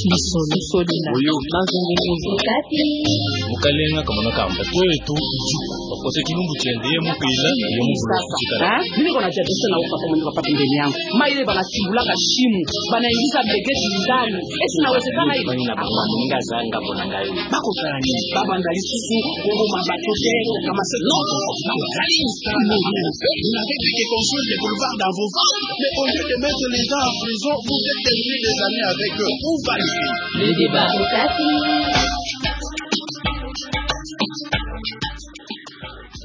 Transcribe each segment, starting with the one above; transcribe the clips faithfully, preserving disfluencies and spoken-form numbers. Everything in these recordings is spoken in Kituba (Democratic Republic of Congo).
Biso, biso dina. Oyo. Mazongi nguzo. Mukalenga kamona kamba. Kwetu, ijuku. Bakose kilumbu tiende, ye mupila, ye muvula kutikala. Ah, mimi kona jadese na uka kwa mwenye papa pembeni yangu. Maile bana tibulaka shimo. Bana ingiza mbegeti ndani. Esi inawezekana hivi? Bani na bana, ninga zanga bona ngai. Bakosala nini? Babanda lisusu koboma bato te, kama se-, non, non, non, vous n'avez fait que construire des boulevards dans vos ventres, mais au lieu de mettre les gens en prison, vous êtes tenus des années avec eux. Où va le pays? Le débat.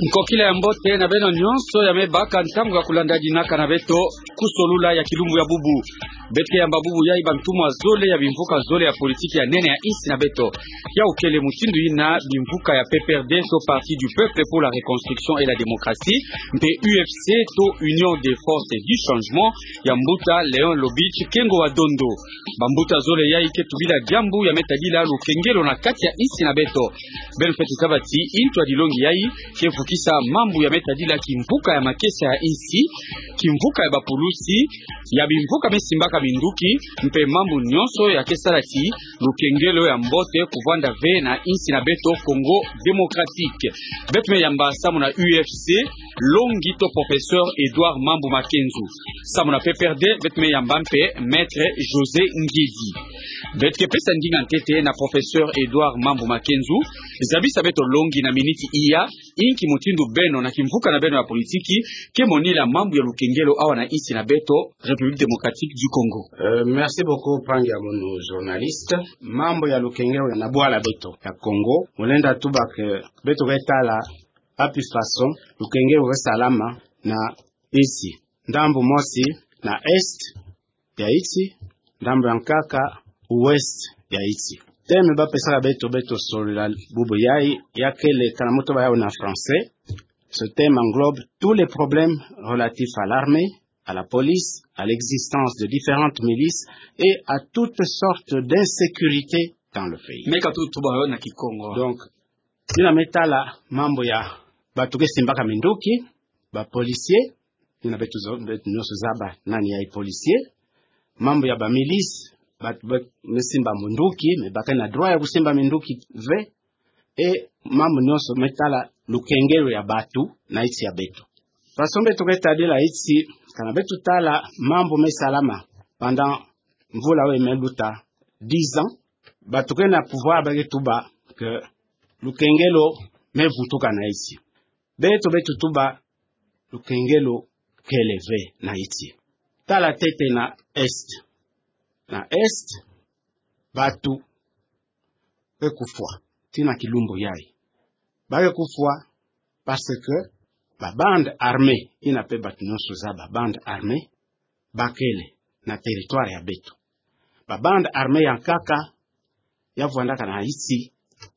Nkokila ya mbote na beno nyonso ya me baka ntangu ya kulandadinaka na beto ku solula ya kilumbu ya bubu. Beto ke yamba bubu yai bantumwa zole ya bimvuka zole ya politiki ya nene ya insi na beto. Yau kele mutindu yina bimvuka ya P P R D to Parti du Peuple pour la Reconstruction et la Démocratie, mpe U F C to Union des Forces du Changement ya mbuta Léon Lobich Kengo wa Dondo. Bambuta zole yai ke tubila diambu ya me tadila lukengelo na kati ya insi na beto. Beno fweti zaba ti ntu ya dilongi yai ke vukisa mambu ya me tadila kimvuka ya makesa ya insi, kimvuka ya bapulusi, ya bimvuka me simbaka minduki, mpe mambu nyonso ya ke sala ti lukengelo ya mbote kuvwanda ve na insi na beto Congo Démocratique. Beto me yamba samu na U F C, longi to Professeur Edouard Mambu Makenzu. Samu na P P R D, beto me yamba mpe Maître José Ngedi. Beto ke pesa ndinga ntete na Professeur Edouard Mambu Makenzu, zabisa beto longi na miniti iya, inki mutindu beno na kimvuka na beno ya politiki ke monila mambu ya lukengelo awa na insi na beto, République Démocratique du Congo. Euh, merci beaucoup, mpangi ya mono journaliste. Mambu ya lukengelo na bwala beto ya Congo, mu lenda tuba que beto ke tala wapi façon lukengelo ke salama na insi. Ndambu mosi na est ya insi, ndambu ya nkaka ouest ya insi. Thème ba pesaka beto, beto solula bubu yai, ya kele, kana mu tuba yau na français, ce thème englobe tous les problèmes relatifs à l'armée, à la police, à l'existence de différentes milices et à toutes sortes d'insécurité dans le pays. Meka tutuba yo na Kikongo. Donc, yina me tala mambu ya bato ke simbaka minduki, ba policiers, yina beto zo-, beto nyonso zaba nani yai policier. Mambu ya ba milices, bato be-, me simba minduki, mais ba ke na droit ya kusimba minduki ve. E mambu nyonso me tala lukengelo ya bato na insi ya beto. Façon beto ke tadila insi, kana beto tala mambu me salama pendant mvula oyo me luta, dix ans, bato ke na pouvoir ba ke tuba que lukengelo me vutuka na insi. Beto, beto tuba lukengelo kele ve na insi. Tala ntete na est. Na est, bato ke kufwa tii na kilumbu yai. Ba ke kufwa parce que ba bandes armées, yina mpe bato nyonso zaba, bandes armées ba kele na territoire ya beto. Ba bandes armées ya nkaka ya vwandaka na insi,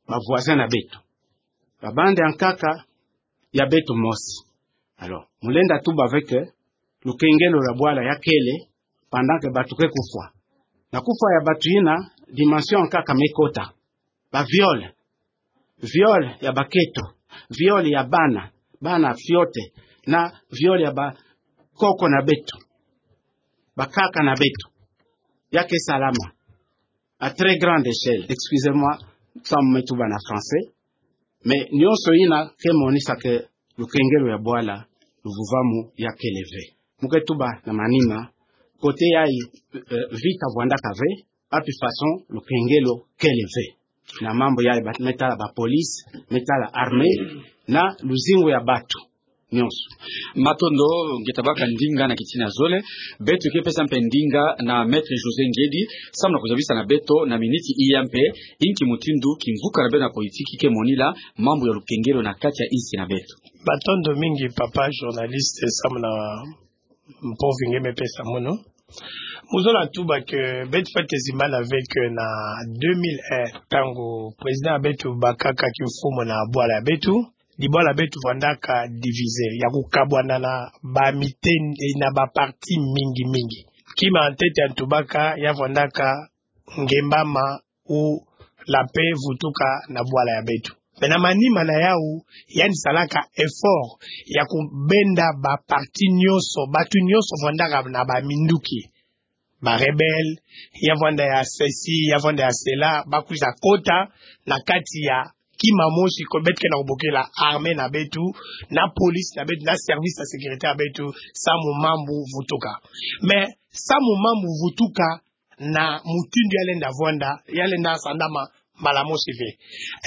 ba voisins na beto. Ba bandes ya nkaka ya beto mosi. Alors, mu lenda tuba ve que lukengelo ya bwala ya kele pendant que bato ke kufwa. Na kufwa ya bato yina, dimension ya nkaka me kota. Ba viol, viol ya baketo, viol ya bana, bana fiote, na viol ya bakoko na beto, bakaka na beto. Ya ke salama à très grande échelle. Excusez-moi, samu me tuba na français, mais nyonso yina ke monisa que lukengelo ya bwala, luvuvamu ya kele ve. Mu ke tuba na manima, côté yai, euh, vita vwandaka ve, wapi façon lukengelo kele ve. Na mambu yai ba-, me tala ba police, me tala armée, na luzingu ya bato nyonso. Matondo, nge tabaka ndinga na kitina zole, beto ke pesa mpe ndinga na Maître José Ngedi, samu na kuzabisa na beto na miniti iya mpe, inki mutindu kimvuka na beno ya politiki ke monila mambu ya lukengelo na kati ya insi na beto. Matondo mingi, papa journaliste, samu na mpovi nge me pesa mono. Mu zola tuba que beto fwete zimbana ve que na deux mille un, ntangu président ya beto bakaka kimfumu na bwala ya beto, dibwala ya beto vwandaka divisé, ya kukabwana na ba miten-, eh, na ba parti mingi mingi. Kima ntete ya ntubaka ya vwandaka Ngemba ma ou la paix vutuka na bwala ya beto. Mais na manima na yau, yandi salaka effort ya kubenda ba parti nyonso, bato nyonso vwandaka na ba minduki, ba rebelles, ya vwanda ya ceci, ya vwanda ya cela, ba kwiza kota na kati ya kima mosi ko beto ke na kobokela armée na beto, na police na beto, na service ya sécurité ya beto, samu mambu vutuka. Mais samu mambu vutuka na mutindu ya lenda vwanda, ya lenda sandama mbala mosi ve.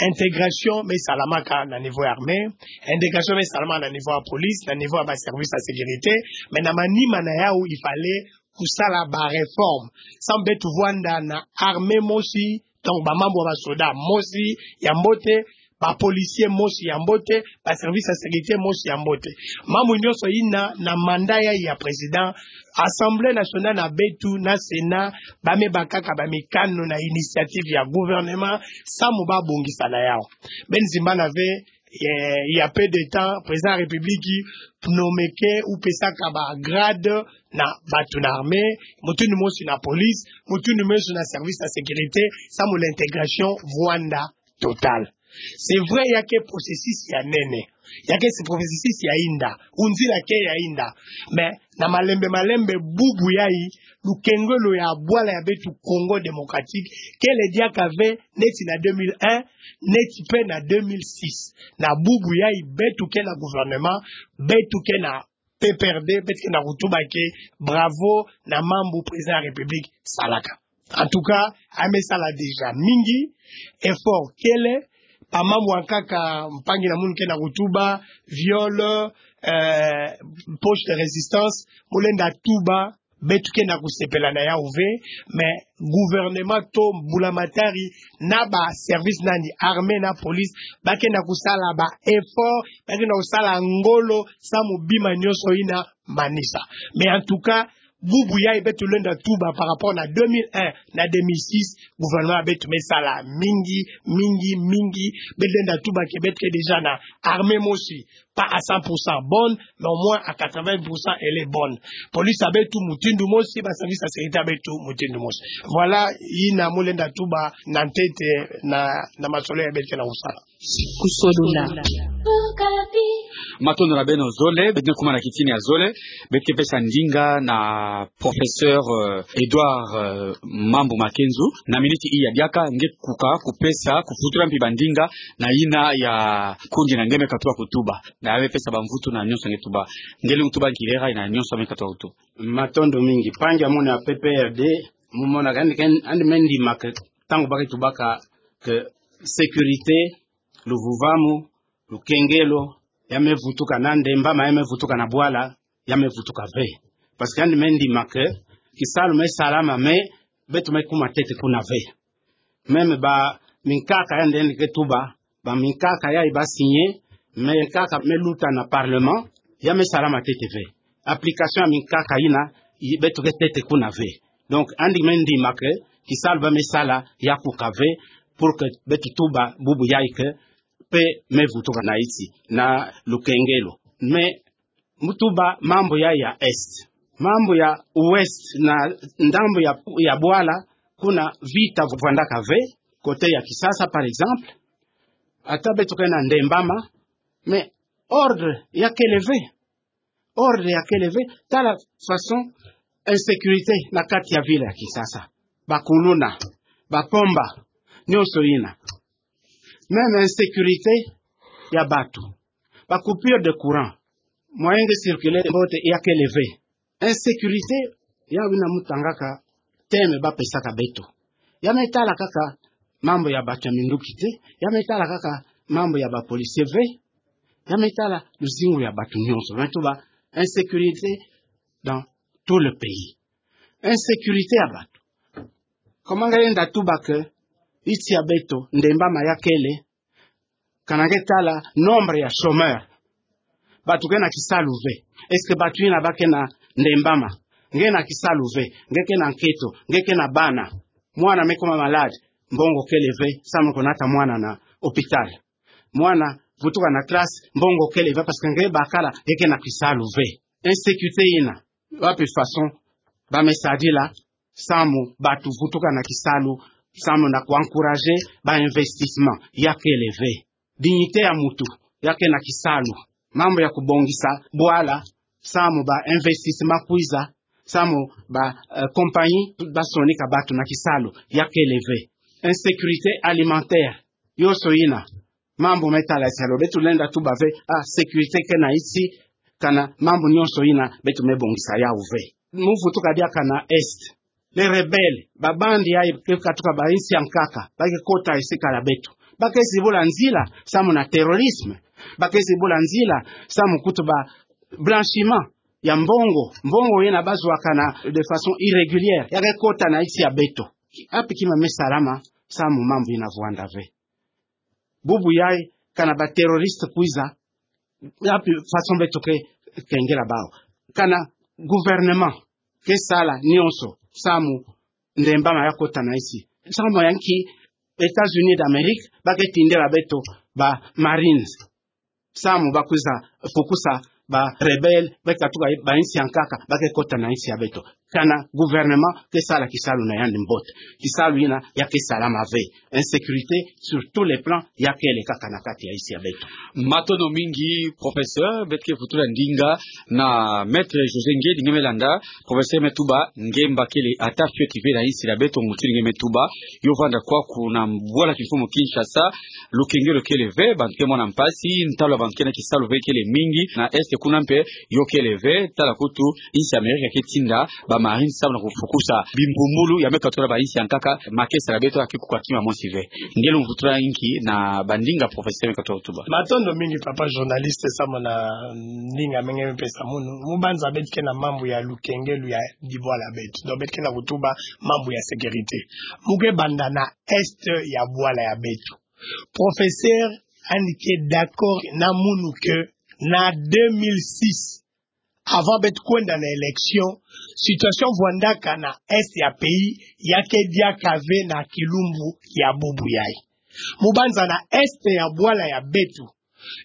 Intégration me salamaka na niveau ya armée, intégration me salamaka na niveau ya police, na niveau ya ba service ya sécurité, mais na manima na yau il fallait kosala ba réformes. Samu beto vwanda na armée mosi, donc ba mambu ya ba soda mosi ya mbote, ba policiers mosi ya mbote, ba service ya sécurité mosi ya mbote. Mambu nyonso ina na mandat ya, ya président, Assemblée nationale na beto na Sénat, ba me bakaka ba mikano na initiative ya gouvernement, samu ba bongisa na yau. Beno zimbana ve, eh, il y a peu de temps, président ya République nomeke ou pesaka ba grade na bato na armée, mutindu mosi na police, mutindu mosi na service ya sécurité, samu l'intégration vwanda totale. C'est vrai, ya ke processus ya nene, ya ke se processus ya inda, ou nzila ke ya inda. Mais na malembe malembe, bubu yai, lukengelo ya bwala ya beto Congo Démocratique kele diaka ve neti na deux mille un, neti pe na deux mille six. Na bubu yai beto ke na gouvernement, beto ke na P P R D, beto ke na kotuba ke bravo na mambu président ya République salaka. En tout cas, a me sala déjà mingi, effort kele, ba mambu ya nkaka mpangi na munu ke na kotuba, viol, euh, poche de résistance, mu lenda tuba, beto ke na kosepela na yau ve, mais gouvernement to mbulamatari na ba service nani, armée na police, ba ke na kosala ba effort, ba ke na kosala ngolo, samu bima nyonso ina manisa. Mais en tout cas, bubu yai beto lenda tuba par rapport na deux mille un na deux mille six, gouvernement beto me sala mingi, mingi, mingi, beto lenda tuba ke beto ke déjà na armée mosi, pas à cent pour cent bonne, mais au moins à quatre-vingts pour cent elle est bonne. Police ya beto mutindu mosi, ba service ya sécurité ya beto mutindu mosi. Voilà, ina mu lenda tuba na ntete na, na masolo ya beto ke na kosala. Kusolola. Matondo na beno zole, beto ke kuma na kitini ya zole, beto ke pesa ndinga na professeur, euh, Edouard, euh, Mambu Makenzu, na miniti iya diaka, nge kuka, kopesa, kofutula mpi ba ndinga, na ina ya kundi na nge me katuba kotuba. Na ya me pesa ba mvutu na nyonso nge tuba. Nge lingu tuba nkilera, ina nyonso me katuba kotuba. Matondo mingi. Mpangi ya munu ya P P R D, mu mona ka yandi ke, yandi me ndima ke, ntangu ba ke tubaka ke sécurité, luvuvamu, lukengelo, ya me vutuka na ndembama, ya me vutuka na bwala, ya me vutuka ve. Parce que yandi me ndima ke, kisalu me salama, mais beto me kuma ntete kuna ve. Même ba minkaka yandi, yandi ke tuba, ba minkaka yai ba signer, minkaka me luta na parlement, ya me salama ntete ve. Application ya minkaka ina, i-, beto ke ntete kuna ve. Donc, yandi me ndima ke, kisalu ba me sala, ya kuka ve, pour que beto tuba bubu yai ke, pe me vutuka na isi, na lukengelo. Mais, mu tuba mambu ya, ya Est. Mambu ya Ouest na ndambu ya, ya bwala, kuna vita vwandaka ve, côté ya Kisasa, par exemple. Ata beto ke na ndembama, mais ordre ya kele ve. Ordre ya kele ve, tala façon insécurité na kati ya ville ya Kinshasa. Ba kuluna, ba pomba, nyonso ina. Même insécurité ya bato. Ba coupure de courant. Moyen de circuler mbote ya kele ve. Insécurité, ya wina mu tangaka thème ba pesaka beto. Ya me tala kaka mambu ya bato ya minduki te, ya me tala kaka mambu ya ba policier ve, ya me tala luzingu ya bato nyonso. Me tuba insécurité dans tout le pays. Insécurité ya bato. Comment nge lenda tuba ke nsi ya beto, ndembama ya kele, kana nge tala nombre ya chômeur. Bato ke na kisalu ve. Est-ce que bato ina ba ke na ndembama? Nge na kisalu ve, nge ke na nketo, nge ke na bana. Mwana me kuma malade, mbongo kele ve, samu ko nata mwana na hôpital. Mwana vutuka na classe, mbongo kele ve, parce que nge bakala, nge ke na kisalu ve. Insécurité ina, wapi façon ba me sadila, samu bato vutuka na kisalu, samu na ko encourager ba investissement, ya kele ve. Dignité ya mutu, ya ke na kisalu. Mambu ya kobongisa bwala, samu ba investissement kwiza, Samu ba, eh, compagnie basonika bato na kisalu, ya kele ve. Insécurité alimentaire, yonso yina. Mambu me tala kisalu, beto lenda tuba ve, ah, sécurité ke na insi, kana mambu nyonso yina, beto me bongisa yawu ve. Mu vutuka diaka na Est. Les rebelles, ba bandi yayi ke katuka ba insi ya nkaka, ba ke kota esi kala beto. Ba ke zibula nzila, samu na terrorisme. Ba ke zibula nzila, samu kutu ba blanchiment ya mbongo. Mbongo yina bazwakana de façon irrégulière, ya ke kota na insi ya beto. Wapi kima me salama, samu mambu yina vwanda ve. Bubu yayi, kana ba terroriste kwiza, wapi façon beto ke kengela bawu. Kana gouvernement ke sala nyonso, samu ndembama ya kota na insi. Samu ya nki États-Unis d'Amérique ba ke tindela beto ba Marines, samu ba kwiza fukusa ba rebelles, ba katuka ba insi ya nkaka, ba ke kota na insi ya beto. Kana gouvernement ke sala kisalu na yandi mbote. Kisalu yina ya ke salama ve. Insécurité sur tous les plans, ya kele kaka na kati ya insi ya beto. Matondo mingi, professeur, beto ke vutula ndinga na Maître José Ngedi nge me landa. Professeur me tuba, nge mba kele ata fioti ve na insi ya beto, mutindu nge me tuba, yo vwanda kwaku na bwala kimfumu Kinshasa, lukengelo kele ve, bantu ke mona mpasi, ntalu ya bantu ke na kisalu ve kele mingi, na Est kuna mpe, yo kele ve, tala kutu, insi ya Amérique ke tinda ba Marines samu na kufukusa bimpumbulu ya me katuka ba insi ya nkaka, makesa ya beto ya ke kuka kima mosi ve. Nge lumvutula nki na ba ndinga professeur me katuka tuba? Matondo mingi, papa journaliste, samu na ndinga me nge me pesa munu. Mu banza beto ke na mambu ya lukengelo ya bibwala ya beto. Donc beto ke na kutuba mambu ya sécurité. Mu ke banda na Est ya bwala ya beto. Professeur yandi ke d'accord na munu que na deux mille six, avant beto kwenda na élection, situation vwandaka na Est ya pays ya ke diaka ve na kilumbu ya bubu yayi. Mu banza na Est ya bwala ya beto,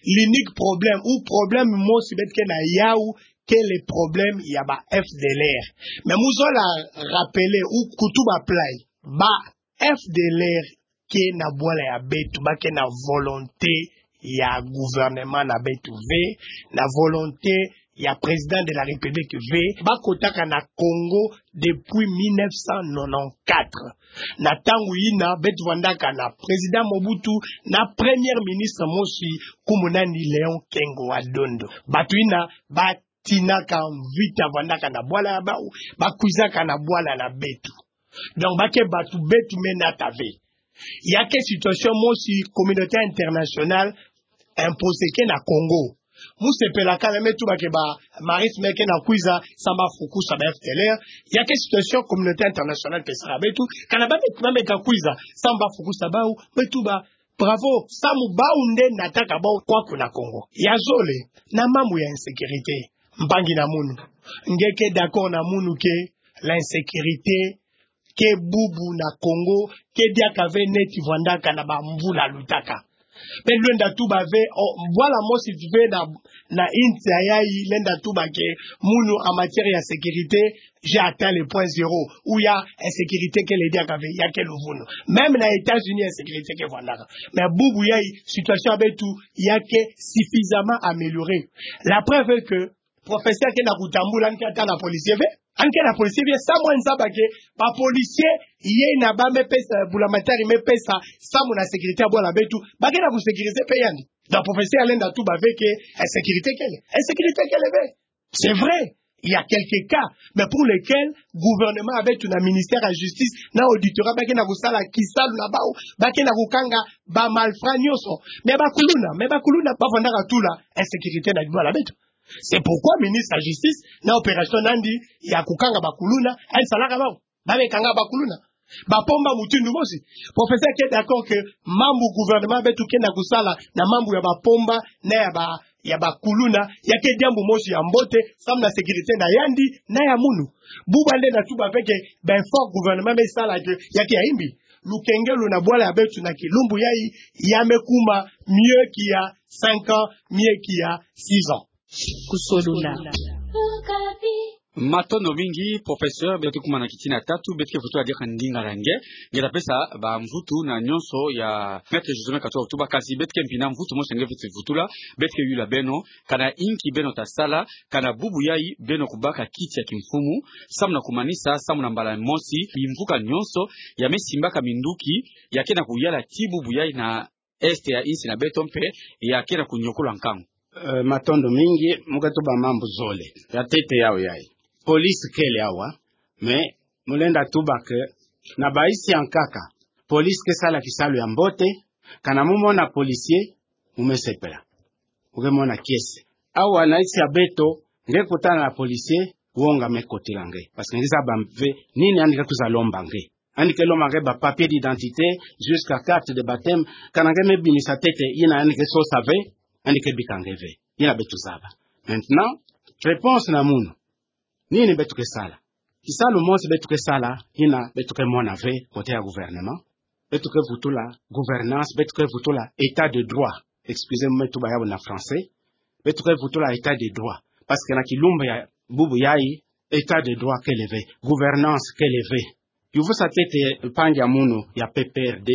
l'unique problème ou problème mosi beto ke na yawu, kele problème ya ba FDLR. Mais mu zola rappeler ou kutuba plan, ba FDLR ke na bwala ya beto, ba ke na volonté ya gouvernement na beto ve, na volonté ya président de la République ve. Ba kotaka na Congo depuis mille neuf cent nonante-quatre. Na ntangu yina beto vwandaka na président Mobutu, na premier ministre mosi, nkumbu na yandi Léon Kengo wa Dondo. Bato yina ba tinaka mvita, vwandaka na bwala ya bawu, ba kwizaka na bwala na beto. Donc ba ke bato beto me nata ve. Ya ke situation mosi communauté internationale imposer ke na Congo. Mu sepela kala, me tuba que ba Marines me ke na kwiza samu ba fukusa ba FDLR. Ya ke situation communauté internationale pesaka beto, kana ba me, ba me ka kwiza samu ba fukusa bawu, me tuba bravo, samu bawu nde nataka bawu kwaku na Congo. Ya zole, na mambu ya insécurité, mpangi na munu, nge ke d'accord na munu que l'insécurité ke bubu na Congo, ke diaka ve neti vwandaka na ba mvula lutaka. Beto lenda tuba ve, o, bwala mosi ve na, na insi yayi lenda tuba que munu en matière ya sécurité, j'ai atteint le point zéro, ou ya insécurité kele diaka ve, ya ke luvunu. Même na États-Unis, insécurité ke vwandaka. Mais bubu yayi, situation ya beto ya ke suffisamment améliorée. La preuve est que professeur ke na kutambula, yandi ke ata na policier ve. Yandi ke na policier ve, samu yandi zaba que ba policier yina ba me pesa, bula-matari me pesa samu na sécurité ya bwala beto, ba ke na ku sécuriser mpe yandi. Donc professeur lenda tuba ve que insécurité kele. Insécurité kele ve. C'est vrai, il y a quelques cas, mais pour lesquels gouvernement ya beto na ministère ya justice na auditorat ba ke na kusala kisalu na bawu, ba ke na kukanga ba malfrats nyonso. Mais ba kuluna, mais ba kuluna ba vwandaka tula insécurité na bwala beto. C'est pourquoi ministre ya justice na opération na yandi ya kukanga ba kuluna, yandi salaka bawu. Ba me kanga ba kuluna. Ba pomba mutindu mosi. Professeur ke d'accord que mambu gouvernement ya beto ke na kusala na mambu ya ba pomba na ya ba, ya ba kuluna, ya ke diambu mosi ya mbote, samu na sécurité na yandi na ya munu. Bubu yandi lenda tuba ve que ba efforts gouvernement me sala que ya ke ya imbi. Lukengelo na bwala ya beto na kilumbu yayi, ya me kuma mieux qu'il y a cinq ans, mieux qu'il y a six ans. Kusolula. Matondo mingi, professeur. Beto ke kuma na kitina tatu, beto ke vutula diaka ndinga ya nge. Nge ta pesa bamvutu na nyonso ya Maître José Mekatoa Otuba, kasi beto ke mpina mvutu mosi nge fiti vutula, beto ke yula beno, kana inki beno ta sala, kana bubu yayi beno kubaka kiti ya kimfumu, samu na kumanisa, samu na mbala mosi, bimvuka nyonso ya me simbaka minduki, ya ke na kuyala ti bubu yayi na Est ya insi na beto mpe ya ke na kunyokola nkangu. Eh, matondo mingi, mu ke tuba mambu zole. Ya ntete yau yayi. Police kele awa, mais mu lenda tuba que na bainsi ya nkaka, police ke sala kisalu ya mbote, kana mu mona policier, mu me sepela. Mu ke mona kiese. Awa na insi ya beto, nge kutana na policier, wonga me kotila nge. Parce que nge zaba ve nini yandi ke kwiza lomba nge. Yandi ke lomba nge ba papier d'identité, jusqu'à carte de baptême, kana nge me bimisa ntete yina yandi ke sosa ve, yandi ke bika nge ve. Yina beto zaba. Maintenant, réponse na munu. Nini beto ke sala? Kisalu mosi beto ke sala, yina beto ke mona ve, côté ya gouvernement. Beto ke vutula gouvernance, beto ke vutula état de droit. Excusez-moi, mu me tuba yawu na français. Beto ke vutula état de droit. Parce que na kilumbu ya bubu yayi, état de droit kele ve, gouvernance kele ve. Yu vusa ntete mpangi ya munu ya P P R D.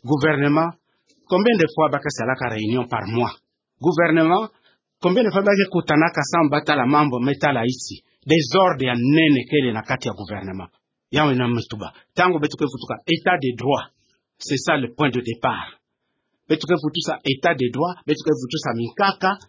Gouvernement, combien de fois ba ke salaka réunion par mois? Gouvernement, combien de fois ba ke kutanaka samu ba tala mambu me tala insi? Désordre ya nene kele na kati ya gouvernement. Yawu yina mu me tuba. Ntangu beto ke vutuka état de droit, c'est ça le point de départ. Beto ke vutusa état de droit, beto ke vutusa minkaka,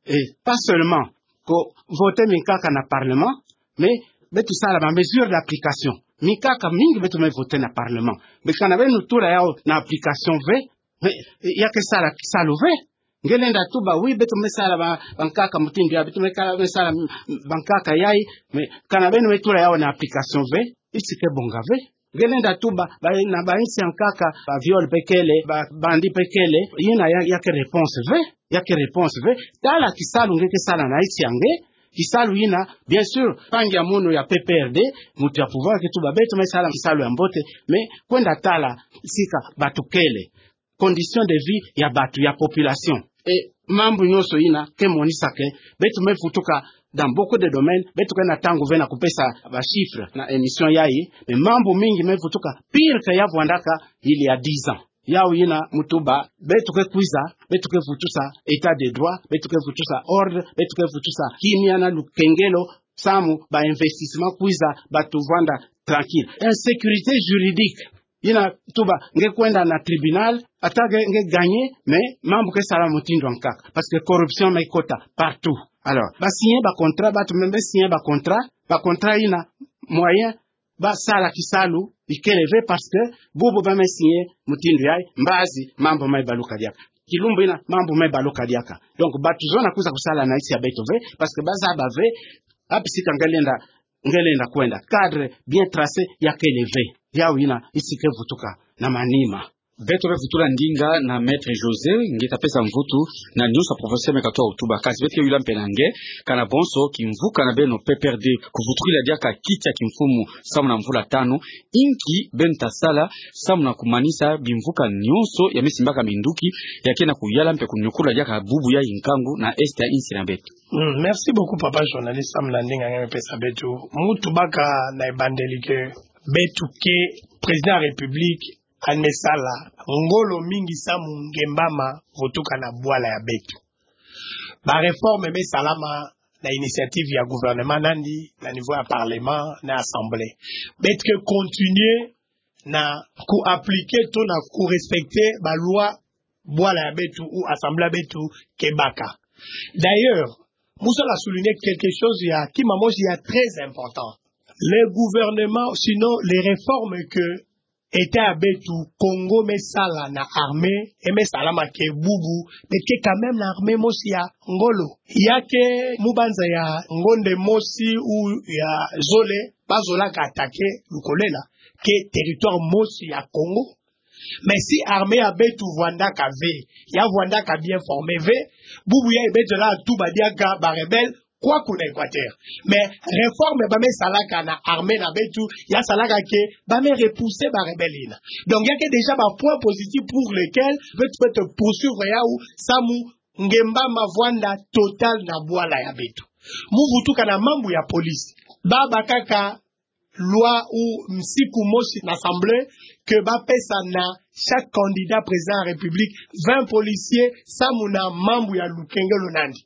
et pas seulement ko voter minkaka na parlement, mais beto sala ba mesures d'application. Minkaka mingi beto me voter na parlement. Mais kana beno tula yawu na application ve, mais ya ke sala kisalu ve. Nge lenda tuba oui, beto me sala ba, bankaka mutindu yayi, beto me kala, me sala bankaka yayi, mais kana beno me tula yawu na application ve, insi ke bonga ve. Nge lenda tuba, ba, na bainsi ya nkaka, ba viol mpe kele, ba bandit mpe kele, yina ya, ya ke réponse ve, ya ke réponse ve. Tala kisalu nge ke sala na insi ya nge, kisalu yina, bien sûr, mpangi ya munu ya P P R D, muntu ya pouvoir ke tuba beto me sala kisalu ya mbote, mais kwenda tala sika bato kele, condition de vie ya bato, ya population. Et mambu nyonso yina ke monisa que beto me vutuka dans beaucoup de domaines, beto ke na ntangu ve na kupesa ba chiffres na émission yayi, mais mambu mingi me vutuka pire que ya vwandaka il y a dix ans. Yawu yina mu tuba, beto ke kwiza, beto ke vutusa état de droit, beto ke vutusa ordre, beto ke vutusa kimia na lukengelo, samu ba investissement kwiza, bato vwanda tranquille. Insécurité juridique. Yina tuba, nge kwenda na tribunal, ata nge, nge gagner, mais mambu ke sala mutindu ya nkaka. Parce que corruption me kota partout. Alors, ba signer ba contrat, bato me, me signer ba contrat, ba contrat yina moyen ba sala kisalu ikele ve, parce que bubu ba me signer mutindu yayi, mbazi mambu me baluka diaka. Kilumbu yina mambu me baluka diaka. Donc, bato zona kwiza kusala na insi ya beto ve, parce que ba zaba ve wapi sika nge lenda, nge lenda kwenda. Cadre bien tracé ya kele ve. Yawu yina insi ke vutuka na manima. Beto ke vutula ndinga na Maître José, nge ta pesa mvutu na nyonso ya Professeur Mekatoa Otuba, kasi beto ke yula mpe na nge, kana bonso kimvuka na beno P P R D kuvutukila diaka kiti ya kimfumu samu na mvula tanu, inki beno ta sala samu na kumanisa bimvuka nyonso ya me simbaka minduki, ya ke na kuyala mpe kunyokola diaka bubu yayi nkangu na Est ya insi na beto. Mm, merci beaucoup, papa journaliste, samu na ndinga nge me pesa beto. Mu tubaka na ebandeli que beto ke, président ya République yandi me sala ngolo mingi samu Nguembama vutuka na bwala ya beto. Ba réformes me salama na initiative ya gouvernement nandi, na niveau ya parlement, na assemblée. Beto ke continuer na ku appliquer to na ku respecter ba lois bwala ya beto ou assemblée ya beto ke baka. D'ailleurs, mu sala souligner quelque chose ya kima mosi ya très important. Le gouvernement, sinon les réformes que État ya beto Congo me sala na armée, e me salama que bubu beto ke quand même na armée mosi ya ngolo. Ya ke mu banza ya ngonde mosi ou ya zole, ba zolaka attaquer Lukolela, ke territoire mosi ya Congo. Mais si armée ya beto vwandaka ve, ya vwandaka bien formée ve, bubu yayi beto lenda tuba diaka ba rebelles kwaku na Équateur. Mais réforme ba me salaka na armée na beto, ya salaka que ba me repousser ba rebelles yina. Donc, ya ke déjà ba points positifs pour lesquels beto, beto poursuivre yawu samu Nguembama vwanda total na bwala ya beto. Mu vutuka na mambu ya police. Ba bâ kaka loi ou misiku mosi na assemblée que ba pesa na chaque candidat président de la République vingt policiers samu na mambu ya lukengelo nandi.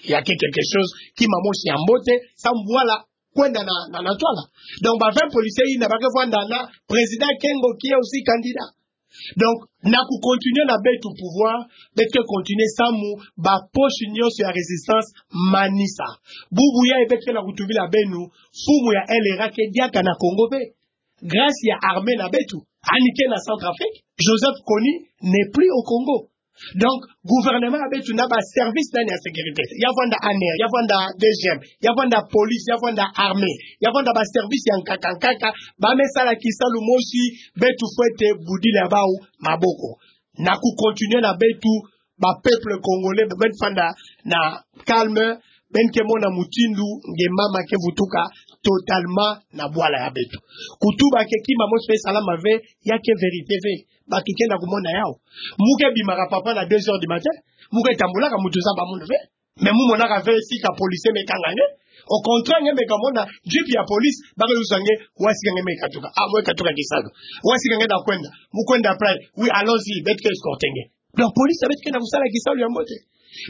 Ya ke quelque chose ki mama mosi ya mbote, samu bwala kwenda na, na, na ntwala. Donc, ba vingt policiers yina ba ke vwanda na président Kengo qui est aussi candidat. Donc, na ku continuer na beto pouvoir, beto ke continuer samu ba poches nyonso ya résistance manisa. Bubu yayi beto ke na kutubila beno, mfumu ya L R A ke diaka na Congo ve. Grâce ya armée na beto, yandi ke na Centrafrique, Joseph Kony n'est plus au Congo. Donc, gouvernement ya beto na ba service nani ya sécurité? Ya vwanda A N R, ya vwanda D G M, ya vwanda police, ya vwanda armée, ya vwanda ba service ya nkaka nkaka, ba me sala kisalu mosi, beto fwete budila ya bau maboko. Na ku continuer na beto, ba peuple congolais, beno fwanda na calme, beno ke mona mutindu nge mama ke vutuka totalement na bwala ya beto. Kutuba que ki mama mosi me salama ve, ya ke vérité ve. Bato ke na kumona yau. Mu ke bimaka papa na deux heures du matin, mu ke tambulaka, mutu zaba munu ve. Mais mu monaka ve sika policier me kanga nge. Au contraire, nge me kamona jeep ya police, ba ke lusa nge, wa sika nge me katuka. Ah, mu katuka kisalu. Wa sika nge na kwenda. Mu kwenda après. Oui, allons-y, beto ke escorter nge. Donc, police ya beto ke na kusala kisalu ya mbote.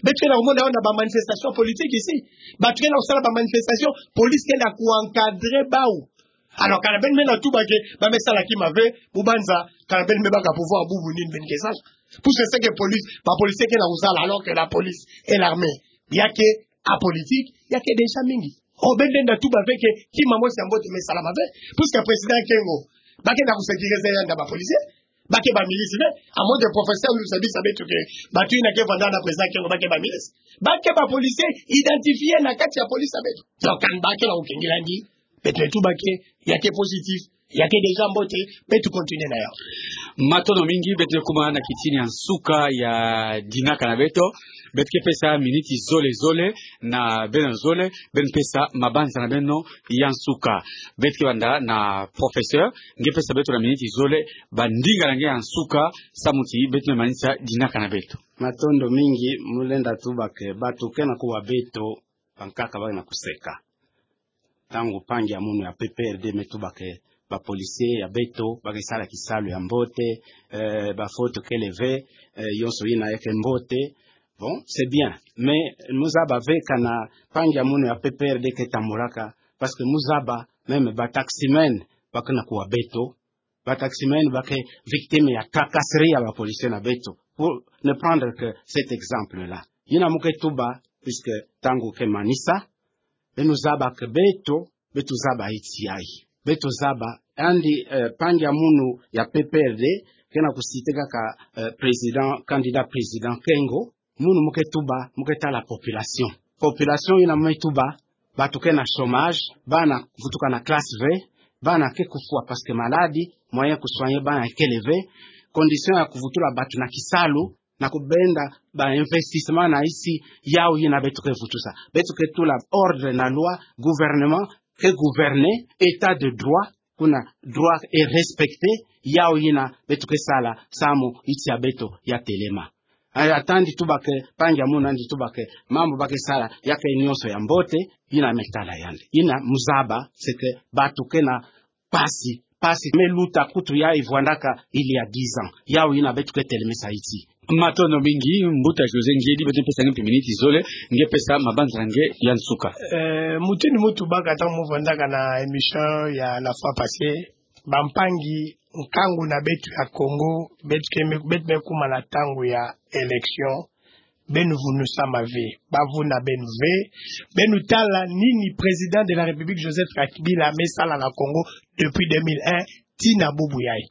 Beto ke na kumona yau na ba manifestations politiques ici. Bato ke na kusala ba manifestations, police ke na ku encadrer bau. Alors, kana beno me na tuba que ba me sala kima ve, mu banza, kana beno me baka pouvoir, bubu nini beno ke sala? Puisque c'est que police, ba policiers ke na kusala, alors que la police et l'armée, ya ke apolitique, ya ke déjà mingi. O beno lenda tuba ve que ki mama mosi ya mbote me salama ve. Puisque président Kengo, ba ke na ku sécuriser yandi na ba policiers, ba ke ba milices ve. À moins de professeur, nous savons, ça veut dire que bato yina ke vwanda na président Kengo, ba ke ba milices. Ba ke ba policiers identifiés na kati ya police ya beto. Donc, kana ba ke na kukengila yandi, beto me tuba que ya ke positif, ya ke déjà mbote, beto continuer na yau. Matondo mingi, beto me kuma na kitini ya nsuka ya dinaka na beto. Beto ke pesa miniti zole zole na beno zole, beno pesa mabanza na beno ya nsuka. Beto ke banda na professeur, nge pesa beto na miniti zole, ba ndinga na nge ya nsuka, samu ti beto me manisa dinaka na beto. Matondo mingi, mu lenda tuba que bato ke na kuwa beto, bankaka ba ke na kuseka. Ntangu mpangi ya munu ya P P R D me tuba que ba policiers ya beto ba ke sala kisalu ya mbote, eh, ba fautes kele ve, eh, yonso yina ya ke mbote. Bon, c'est bien. Mais mu zaba ve kana mpangi ya munu ya P P R D ke tambulaka, parce que mu zaba même ba taximen ba ke na kuwa beto, ba taximen ba ke victime ya tracasserie ya ba policiers na beto. Pour ne prendre que cet exemple-là. Yina mu ke tuba, puisque ntangu ke manisa, beno zaba que beto, beto zaba iti yayi. Beto zaba, yandi, eh, mpangi ya munu ya P P R D, ke na ku citer kaka, eh, président, candidat président Kengo, munu mu ke tuba, mu ke tala population. Population yina mu me tuba, bato ke na chômage, bana vutuka na classe ve, bana ke kufwa parce que maladie, moyen ku soigner bana kele ve, condition ya kuvutula bato na kisalu, na kubenda ba investissement na isi, yau yina beto ke vutusa. Beto ke tula ordre na loi, gouvernement ke gouverner, état de droit, kuna droit est respecté, yau yina beto ke sala, samu iti ya beto ya telema. Aya, tandi tuba que mpangi ya munu andi tuba que mambu ba ke sala ya ke nyonso ya mbote, yina me tala yandi. Yina mu zaba, c'est que bato ke na mpasi, mpasi me luta kutu yayi vwandaka il y a dix ans. Yau yina beto ke telemisa iti. Matondo mingi, mbuta José Ngiedi, beto pesa nge mpe miniti zole, nge pesa mabanza na nge ya nsuka. Eh, mutindu mu tubaka ntangu mu vwandaka na émission ya la fois passée, bampangi, nkangu na beto ya Congo, beto ke me-, beto me kuma na ntangu ya élection, beno vunusama ve, ba vuna beno ve, beno tala nini président de la République Joseph Kabila me sala na Congo depuis deux mille un, tii na bubu yayi.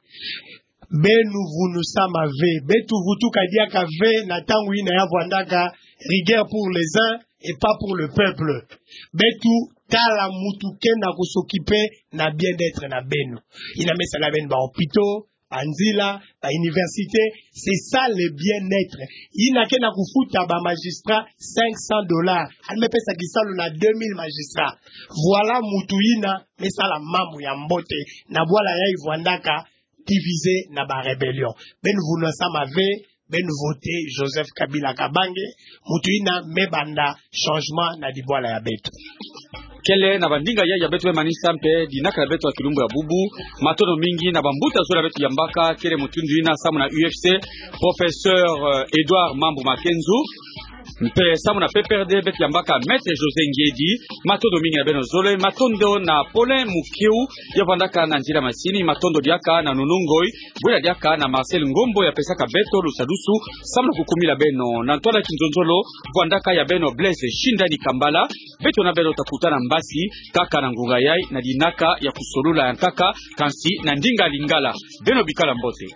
Beno vunusama ve, beto vutuka diaka ve na ntangu yina ya vwandaka rigueur pour les uns et pas pour le peuple. Beto tala mutu ke na ku s'occuper na bien-être na beno. Yina me sala beno ba hôpitaux, ba nzila, ba universités, c'est ça le bien-être. Yina ke na kufuta ba magistrats cinq cents dollars. Yandi me pesa kisalu na deux mille magistrats. Voilà mutu yina me sala mambu ya mbote. Na bwala yayi vwandaka divisé na ba rébellion. Beno vunusama ve, beno voter Joseph Kabila Kabange, mutu yina me banda changement na dibwala ya beto. kele na bandinga ya, ya beto be manisa mpe dinaka ya beto ya kilumbu ya bubu. Matondo mingi na bambuta zole ya beto yambaka, kele mutindu ina samu na U F C, Professeur, euh, Edouard Mambu Makenzu. Mpe samu na P P R D beto yambaka Maître José Ngedi. Matondo mingi na beno zole, matondo na Paulin Mukiu, ya vandaka na nzila masini, matondo diaka na Nunu Ngoi, bwela diaka na Marcel Ngombo ya pesaka beto lusadusu samu na kukumila beno. Na ntwala kinzonzolo, vandaka ya beno Blaise Shindani Kambala, beto na beno ta kutana mbasi kaka na ngunga yai na dinaka ya kusolula ya nkaka, kansi na ndinga Lingala. Beno bikala mbote.